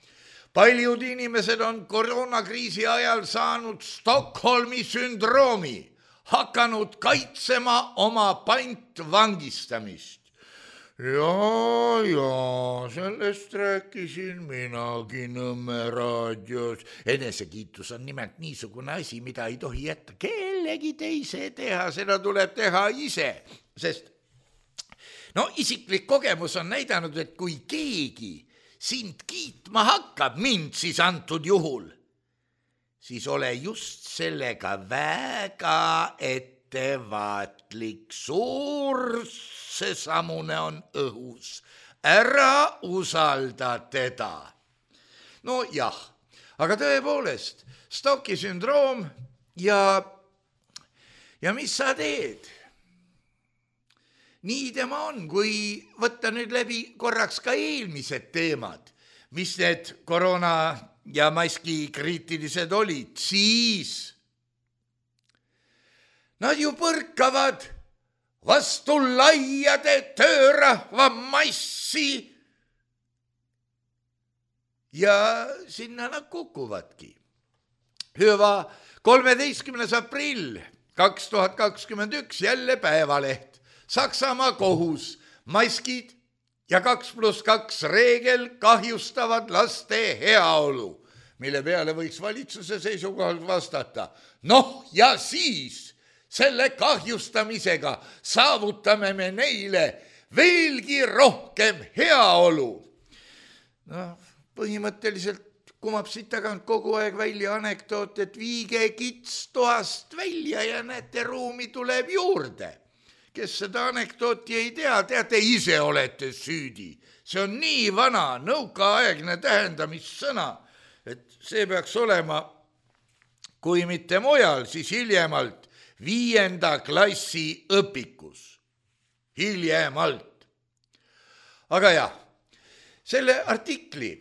Paljud inimesed on koroonakriisi ajal saanud Stockholmi sündroomi, hakanud kaitsema oma pantvangistamist. Jaa, jaa, sellest rääkisin minagi Nõmme raadios. Enesekiitus on nimelt niisugune asi, mida ei tohi jätta kellegi teise teha, seda tuleb teha ise. Sest no isiklik kogemus on näidanud, et kui keegi sind kiitma hakkab, mind siis antud juhul, siis ole just sellega väga ettevaatlik. Suur seesamune on õhus. Ära usalda teda. No jah, aga tõepoolest, Stocki sündroom ja, ja mis sa teed? Nii tema on, kui võtta nüüd läbi korraks ka eelmised teemad, mis need koroona ja maski kriitilised olid, siis nad ju põrkavad vastu laiade töörahva massi ja sinna nad kukuvadki. Hüva, kolmeteistkümnes aprill kaks tuhat kakskümmend üks jälle Päevaleht. Saksamaa kohus, maskid ja kaks pluss kaks reegel kahjustavad laste heaolu, mille peale võiks valitsuse seisukohalt vastata. Noh, ja siis selle kahjustamisega saavutame me neile veelgi rohkem heaolu. No, põhimõtteliselt kumab siit tagant kogu aeg välja anekdoot, et viige kits toast välja ja näete, ruumi tuleb juurde. Kes seda anekdooti ei tea, teate, ise olete süüdi. See on nii vana, nõukaaegne tähendamissõna, et see peaks olema, kui mitte mujal, siis hiljemalt viienda klassi õpikus. Hiljemalt. Aga jah, selle artikli,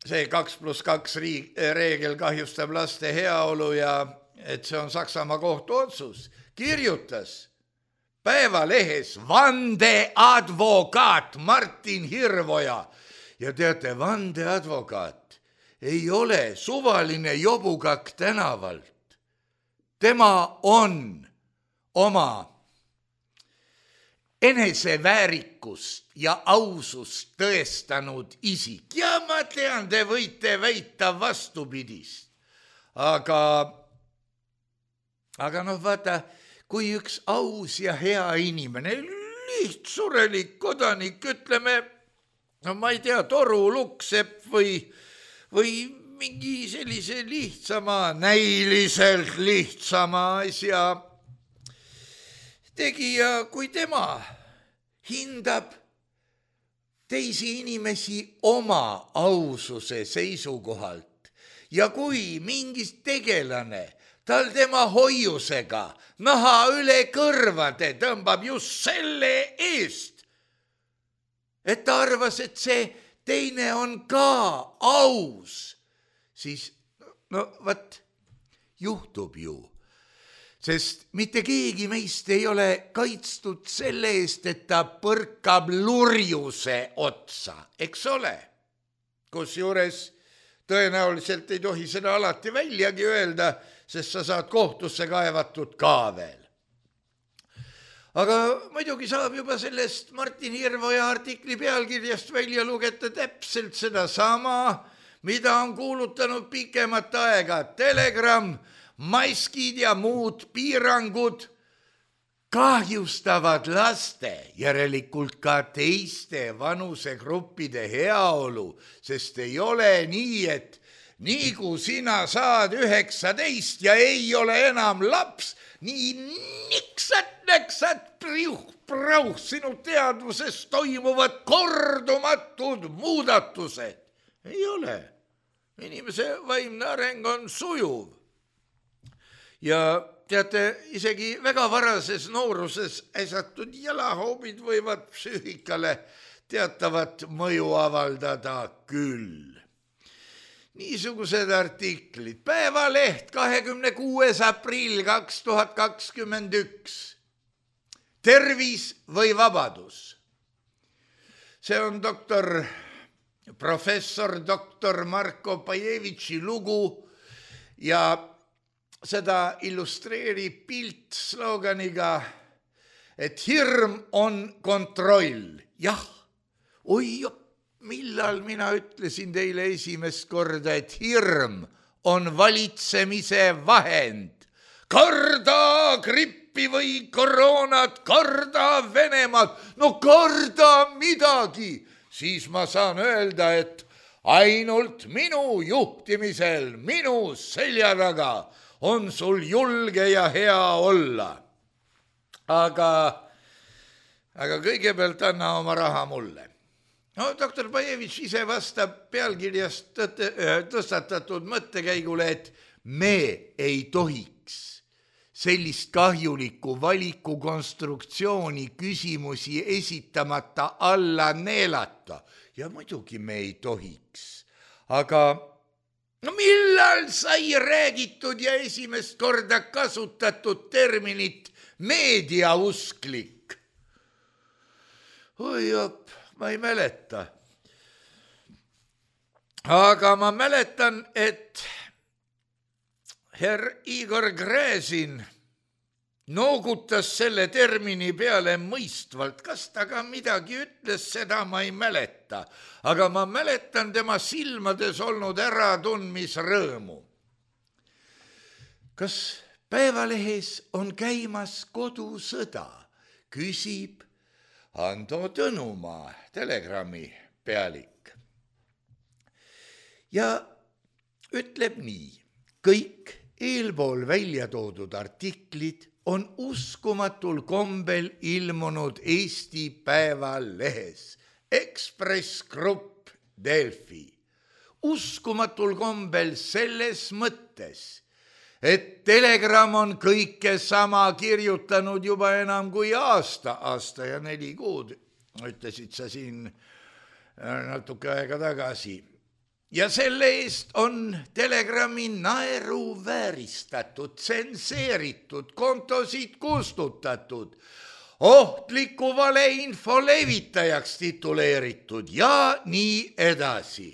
see kaks pluss kaks reegel kahjustab laste heaolu ja et see on Saksamaa kohtu otsus, kirjutas Päevalehes vandeadvokaat Martin Hirvoja. Ja teate, vandeadvokaat ei ole suvaline jobukak tänavalt. Tema on oma eneseväärikust ja ausust tõestanud isik. Ja ma tean, te võite väita vastupidist. Aga, aga noh, vaata, kui üks aus ja hea inimene, lihtsurelik kodanik, ütleme, no ma ei tea, Toru Luksepp või, või mingi sellise lihtsama, näiliselt lihtsama asja tegija, kui tema hindab teisi inimesi oma aususe seisukohalt ja kui mingis tegelane tal tema hoiusega naha üle kõrvade tõmbab just selle eest, et ta arvas, et see teine on ka aus, siis no vat, juhtub ju. Sest mitte keegi meist ei ole kaitstud selle eest, et ta põrkab lurjuse otsa, eks ole. Kusjuures tõenäoliselt ei tohi seda alati väljagi öelda, sest sa saad kohtusse kaevatud ka veel. Aga muidugi saab juba sellest Martin Hirvoja artikli pealkirjast välja lugeda täpselt seda sama, mida on kuulutanud pikemat aega Telegram. Maskid ja muud piirangud kahjustavad laste, järelikult ka teiste vanusegruppide heaolu, sest ei ole nii, et nii kui sina saad üheksateist ja ei ole enam laps, nii niksat, näksat, priuh, prauh, sinu teadvuses toimuvad kordumatud muudatused. Ei ole. Inimese vaimne areng on sujuv. Ja teate, isegi väga varases nooruses äsatud jalahoobid võivad psüühikale teatavat mõju avaldada küll. Niisugused artiklid. Päevaleht kahekümne kuues aprill kaks tuhat kakskümmend üks. Tervis või vabadus? See on doktor, professor doktor Marko Pajevitši lugu ja seda illustreerib pilt sloganiga, et hirm on kontroll. Jah, oi, millal mina ütlesin teile esimest korda, et hirm on valitsemise vahend. Karda grippi või koroonat, karda Venemaad, no karda midagi. Siis ma saan öelda, et ainult minu juhtimisel, minu selja taga on sul julge ja hea olla. Aga, aga kõigepealt anna oma raha mulle. No, doktor Pajevitš ise vastab pealkirjast tõstatatud mõttekäigule, et me ei tohiks sellist kahjulikku valikukonstruktsiooni küsimusi esitamata alla neelata. Ja muidugi me ei tohiks. Aga no millal sai räägitud ja esimest korda kasutatud terminit meediausklik? Oi op, ma ei mäleta. Aga ma mäletan, et herr Igor Gräzin noogutas selle termini peale mõistvalt. Kas ta ka midagi ütles, seda ma ei mäleta. Aga ma mäletan tema silmades olnud äratundmisrõõmu. Kas Päevalehes on käimas kodusõda? Küsib Ando Tõnumaa, Telegrami pealik. Ja ütleb nii, kõik eelpool välja toodud artiklid on uskumatul kombel ilmunud Eesti Päevalehes, Ekspress Grupp, Delfi. Uskumatul kombel selles mõttes, et Telegram on kõike sama kirjutanud juba enam kui aasta, aasta ja neli kuud, ütlesid sa siin natuke aega tagasi. Ja selle eest on Telegrami naeru vääristatud, tsenseeritud, kontosid kustutatud, ohtliku valeinfo levitajaks tituleeritud ja nii edasi.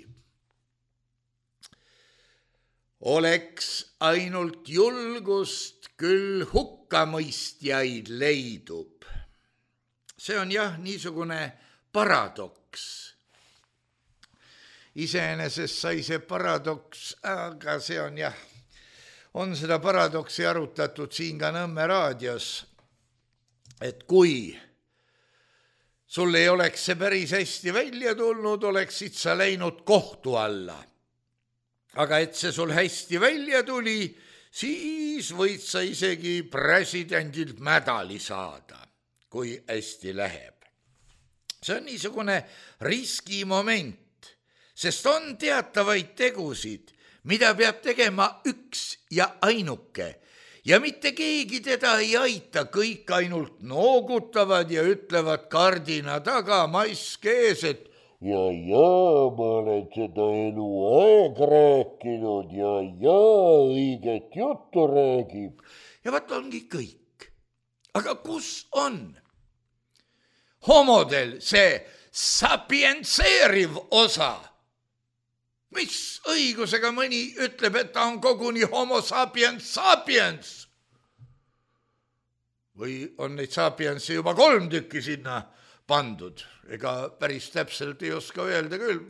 Oleks ainult julgust, küll hukkamõistjaid leidub. see on jah niisugune paradoks. Iseenesest sai see paradoks, aga see on jah, on seda paradoksi arutatud siin ka Nõmme raadios, et kui sul ei oleks see päris hästi välja tulnud, oleksid sa läinud kohtu alla. Aga et see sul hästi välja tuli, siis võid sa isegi presidendilt medali saada, kui hästi läheb. See on niisugune riskimoment, sest on teatavaid tegusid, mida peab tegema üks ja ainuke. Ja mitte keegi teda ei aita, kõik ainult noogutavad ja ütlevad kardina taga mask ees, et ja, ja, ma olen seda elu aeg rääkinud ja, ja, õiget juttu räägib. Ja vaat ongi kõik. Aga kus on homodel see sapientseeriv osa? Mis õigusega mõni ütleb, et ta on koguni homo sapiens sapiens? Või on neid sapiensi juba kolm tükki sinna pandud? Ega päris täpselt ei oska öelda küll.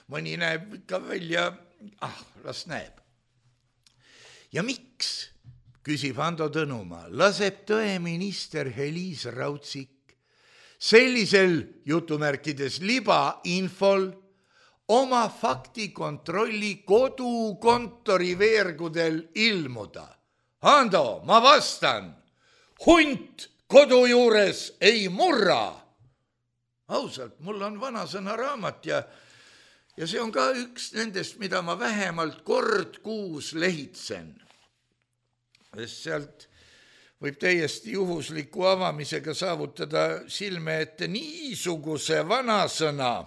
Mõni näeb ikka välja, ah, las näeb. Ja miks, küsib Ando Tõnumaa, laseb tõeminister Heliis Raudsik sellisel jutumärkides libainfol oma faktikontrolli kodukontori veergudel ilmuda? Ando, ma vastan, hunt kodu juures ei murra. Ausalt, mul on vanasõna raamat ja, ja see on ka üks nendest, mida ma vähemalt kord kuus lehitsen. Sealt võib täiesti juhusliku avamisega saavutada silme ette niisuguse vanasõna,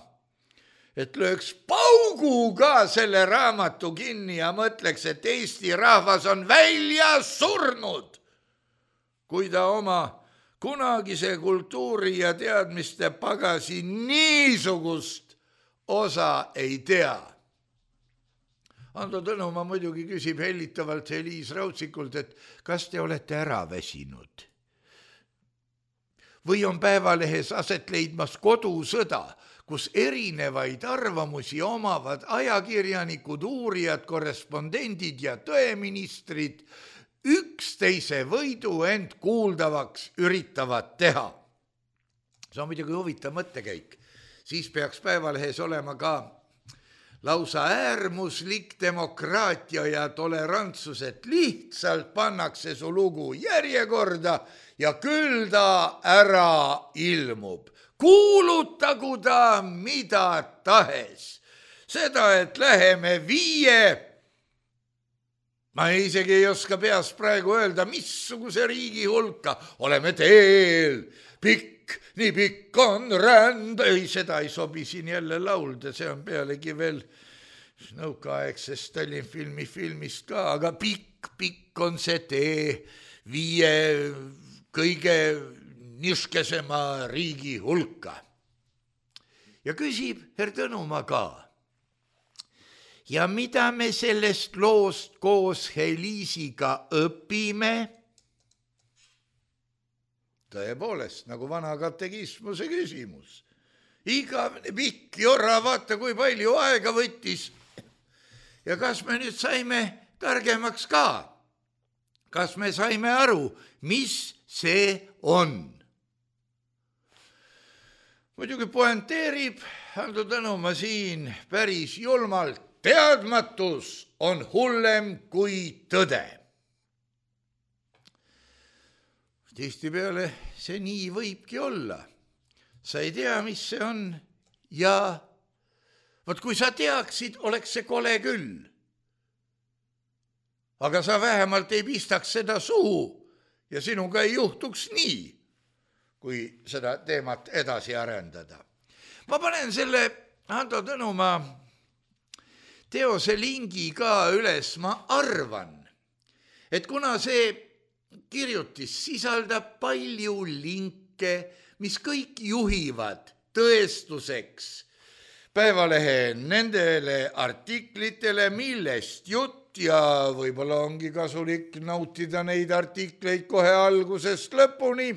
et lööks paugu ka selle raamatu kinni ja mõtleks, et Eesti rahvas on välja surnud, kui ta oma kunagise kultuuri ja teadmiste pagasi niisugust osa ei tea. Ando Tõnumaa muidugi küsib hellitavalt Heliis Raudzikult, et kas te olete ära väsinud? Või on Päevalehes aset leidmas kodusõda, kus erinevaid arvamusi omavad ajakirjanikud, uurijad, korrespondendid ja tõeministrid üksteise võidu end kuuldavaks üritavad teha. See on muidugi huvitav mõttekäik. Siis peaks Päevalehes olema ka lausa äärmuslik demokraatia ja tolerantsus, et lihtsalt pannakse su lugu järjekorda ja küll ta ära ilmub. Kuulutagu ta mida tahes. Seda, et läheme viie, ma isegi ei oska peas praegu öelda, missuguse riigi hulka oleme teel. Pikk, nii pikk on ränd. Ei, seda ei sobi siin jälle laulda, see on pealegi veel nõukaaegsest Stalin filmi filmist ka, aga pikk, pikk on see tee viie kõige niskesema riigi hulka. Ja küsib Herr Tõnumaa ka. Ja mida me sellest loost koos Heliisiga õpime? Tõepoolest, nagu vana katekismuse küsimus. Igavene pikk jora, vaata kui palju aega võttis. Ja kas me nüüd saime targemaks ka? Kas me saime aru, mis see on? Muidugi poenteerib Ando Tõnumaa siin päris julmalt. Teadmatus on hullem kui tõde. Tihtipeale see nii võibki olla. Sa ei tea, mis see on ja võt kui sa teaksid, oleks see kole küll. Aga sa vähemalt ei pistaks seda suhu ja sinuga ei juhtuks nii, kui seda teemat edasi arendada. Ma panen selle Ando Tõnumaa teose lingi ka üles, ma arvan, et kuna see kirjutis sisaldab palju linke, mis kõik juhivad tõestuseks Päevalehe nendele artiklitele, millest jutt ja võib-olla ongi kasulik nautida neid artikleid kohe algusest lõpuni,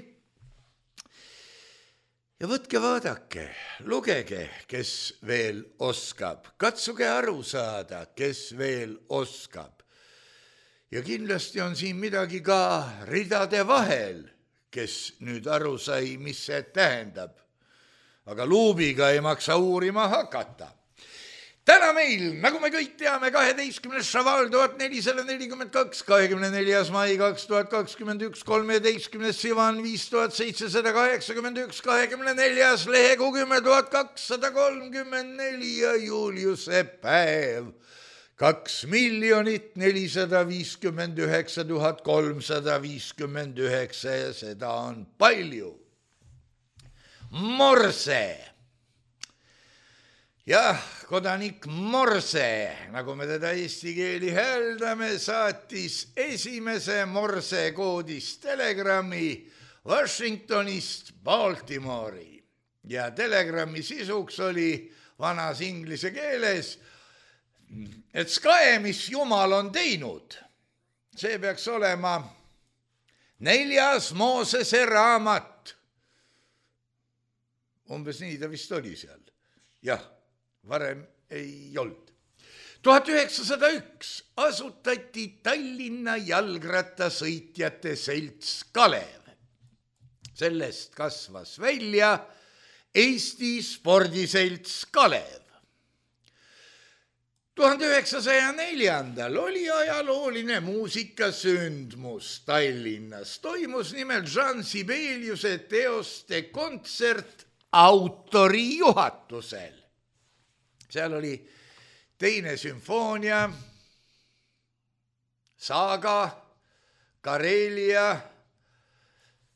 ja võtke vaadake, lugege, kes veel oskab, katsuge aru saada, kes veel oskab. Ja kindlasti on siin midagi ka ridade vahel, kes nüüd aru sai, mis see tähendab. Aga luubiga ei maksa uurima hakata. Täna meil, nagu me kõik teame, kaheteistkümnes šaval tuhat nelisada nelikümmend kaks, kahekümne neljas mai kaks tuhat kakskümmend üks, kolmeteistkümnes sivan viis tuhat seitsesada kaheksakümmend üks, kahekümne neljas lehekuu kümme tuhat kakssada kolmkümmend neli ja Juliuse päev. Kaks miljonit nelisada viiskümmend üheksa tuhat kolmsada viiskümmend üheksa ja seda on palju. Morse. Jah, kodanik Morse, nagu me teda eesti keeli hääldame, saatis esimese Morse koodis telegrammi Washingtonist Baltimore'i ja telegrammi sisuks oli vanas inglise keeles, et skae, mis Jumal on teinud, see peaks olema neljas Moosese raamat. Umbes nii ta vist oli seal. Jah. Varem ei olnud. tuhat üheksasada üks asutati Tallinna jalgrattasõitjate selts Kalev. Sellest kasvas välja Eesti spordiselts Kalev. tuhande üheksasaja neljandal oli ajalooline muusikasündmus Tallinnas. Toimus nimelt Jean Sibeliuse teoste kontsert autori juhatusel. Seal oli teine sümfoonia, Saaga, Karelia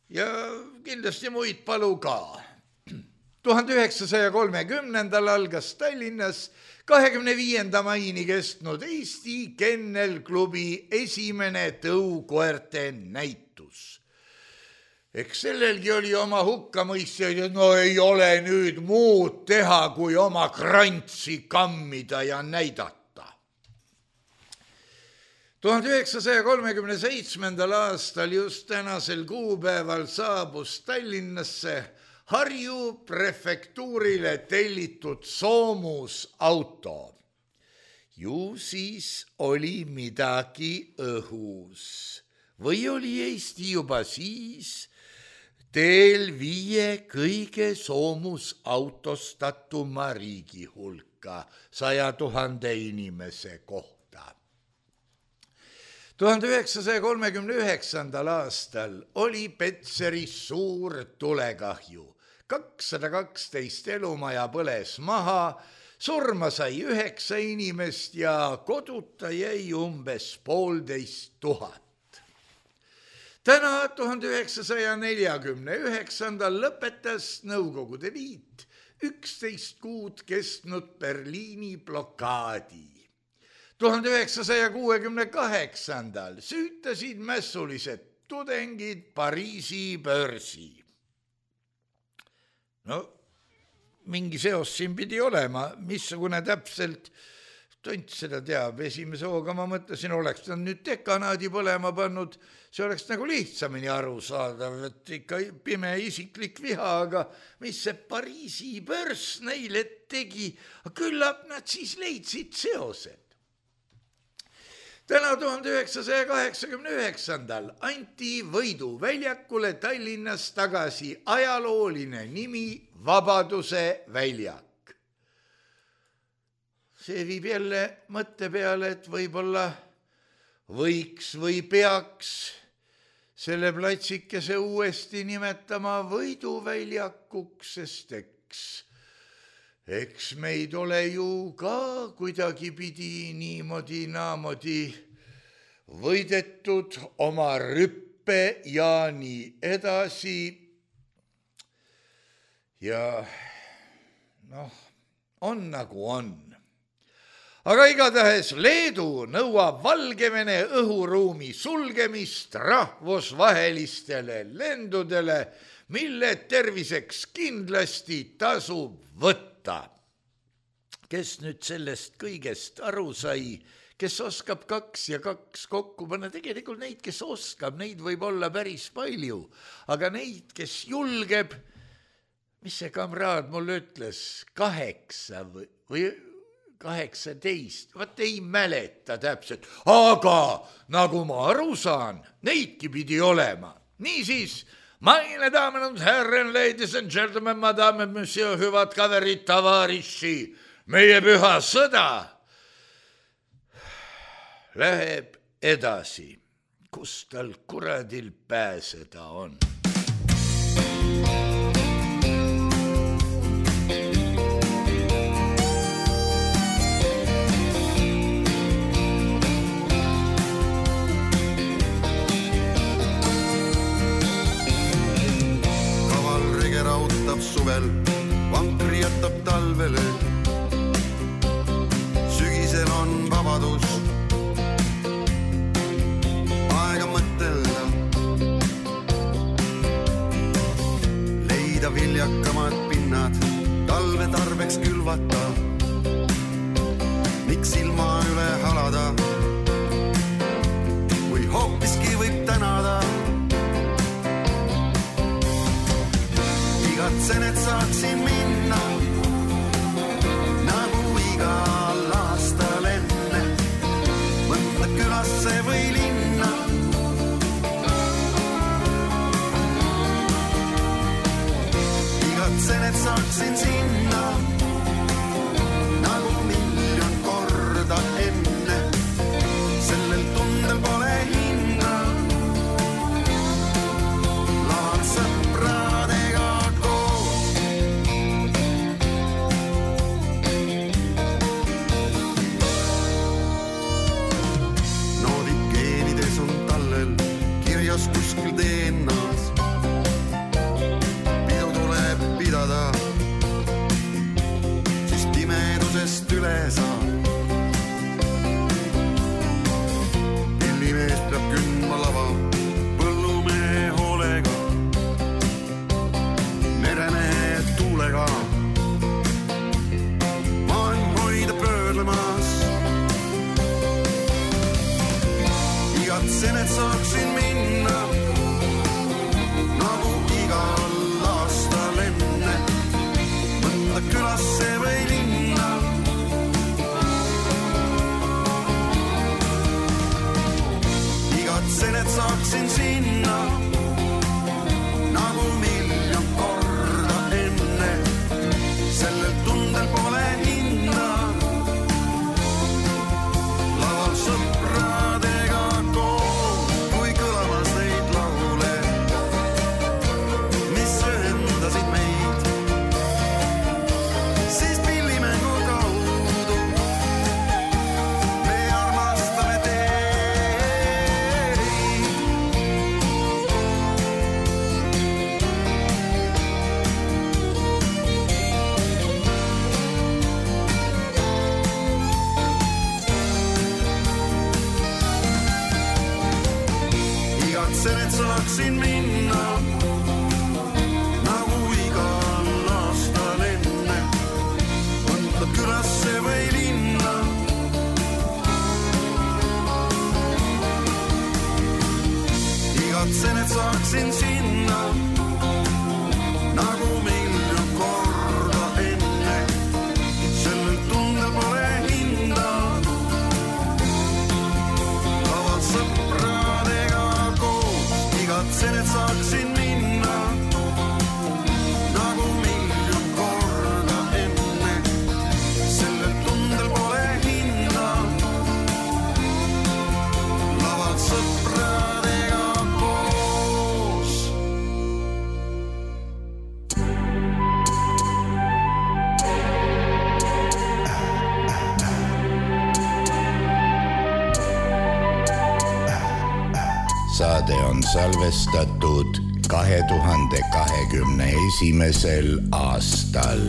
ja kindlasti muid palu ka. tuhande üheksasaja kolmekümnendal algas Tallinnas kahekümne viienda maini kestnud Eesti Kennelklubi esimene tõukoerte näitus. Eks sellelgi oli oma hukkamõistjaid, et no ei ole nüüd muud teha, kui oma krantsi kammida ja näidata. tuhande üheksasaja kolmekümne seitsmendal aastal just tänasel kuupäeval saabus Tallinnasse Harju prefektuurile tellitud soomusauto. Ju siis oli midagi õhus. Või oli Eesti juba siis teel viie kõige soomusautostatuma riigi hulka saja tuhande inimese kohta. tuhande üheksasaja kolmekümne üheksandal aastal oli Petseris suur tulekahju. kakssada kaksteist elumaja põles maha, surma sai üheksa inimest ja koduta jäi umbes poolteist tuhat. Täna tuhande üheksasaja neljakümne üheksandal lõpetas Nõukogude Liit üksteist kuud kestnud Berliini blokaadi. tuhande üheksasaja kuuekümne kaheksandal süütasid mässulised tudengid Pariisi börsi. No, mingi seos siin pidi olema, missugune täpselt tont seda teab. Esimese hooga ma mõtlesin, oleks ta nüüd dekanaadi põlema pannud, see oleks nagu lihtsamini aru saadav, et ikka pime isiklik viha, aga mis see Pariisi börs neile tegi, küllap nad siis leidsid seosed. Täna tuhande üheksasaja kaheksakümne üheksandal anti Võidu väljakule Tallinnas tagasi ajalooline nimi Vabaduse väljak. See viib jälle mõtte peale, et võib-olla võiks või peaks selle platsikese uuesti nimetama Võiduväljakuks, sest eks, eks meid ole ju ka kuidagipidi niimoodi naamodi võidetud oma rüppe ja nii edasi. Ja noh, on nagu on. Aga igatahes Leedu nõuab Valgevene õhuruumi sulgemist rahvusvahelistele lendudele, mille terviseks kindlasti tasub võtta. Kes nüüd sellest kõigest aru sai, kes oskab kaks ja kaks kokku panna, tegelikult neid, kes oskab, neid võib olla päris palju, aga neid, kes julgeb, mis see kamraad mul ütles, kaheksa või, või kaheksateist, vaat ei mäleta täpselt, aga nagu ma aru saan, neidki pidi olema. Niisiis, meine damen und herren, ladies and gentlemen, madame, monsieur, hüvad kaverid, tavariši, meie püha sõda läheb edasi, kus tal kuradil pääseda on. Suvel vankri jätab talvele, sügisel on vabadus, aega mõtelda, leida viljakamad pinnad, talve tarbeks külvata, miks ilma üle halada, kui hoopiski võib tänada. Igatsen, et saaksin minna nagu igal aastal enne mõnda külasse või linna. Igatsen, et saaksin sinna nagu miljon korda enne. Sellel tundel pole hinna. Laval sõpradega kuskil D N A-s pidu tuleb pidada, siis pimedusest üle saab. Pillimees peab kündma lava põllumehe hoolega, meremehe tuulega, maailm hoida pöörlemas. Igatsen, et saaksin minna nagu igal aastal enne mõnda külasse või linna. Igatsen, et saaksin sinna nagu miljon korda enne. Sellel tundel pole hinna. Laval sõpradega koos, kui kõlamas neid laule, mis ühendasid meid, siis pillimängu kaudu me armastame teid. Igatsen, et saaksin minna nagu igal aastal enne mõnda külasse või linna. Igatsen, et saaksin sinna nagu miljon korda enne. Sellel tundel pole hinda. Laval sõpradega koos, igatsen, et saaksin minna nagu miljon korda enne. Sellel tundel pole hinda. Laval sõpradega koos. Saade on salvestatud kahe tuhande kahekümne esimesel aastal.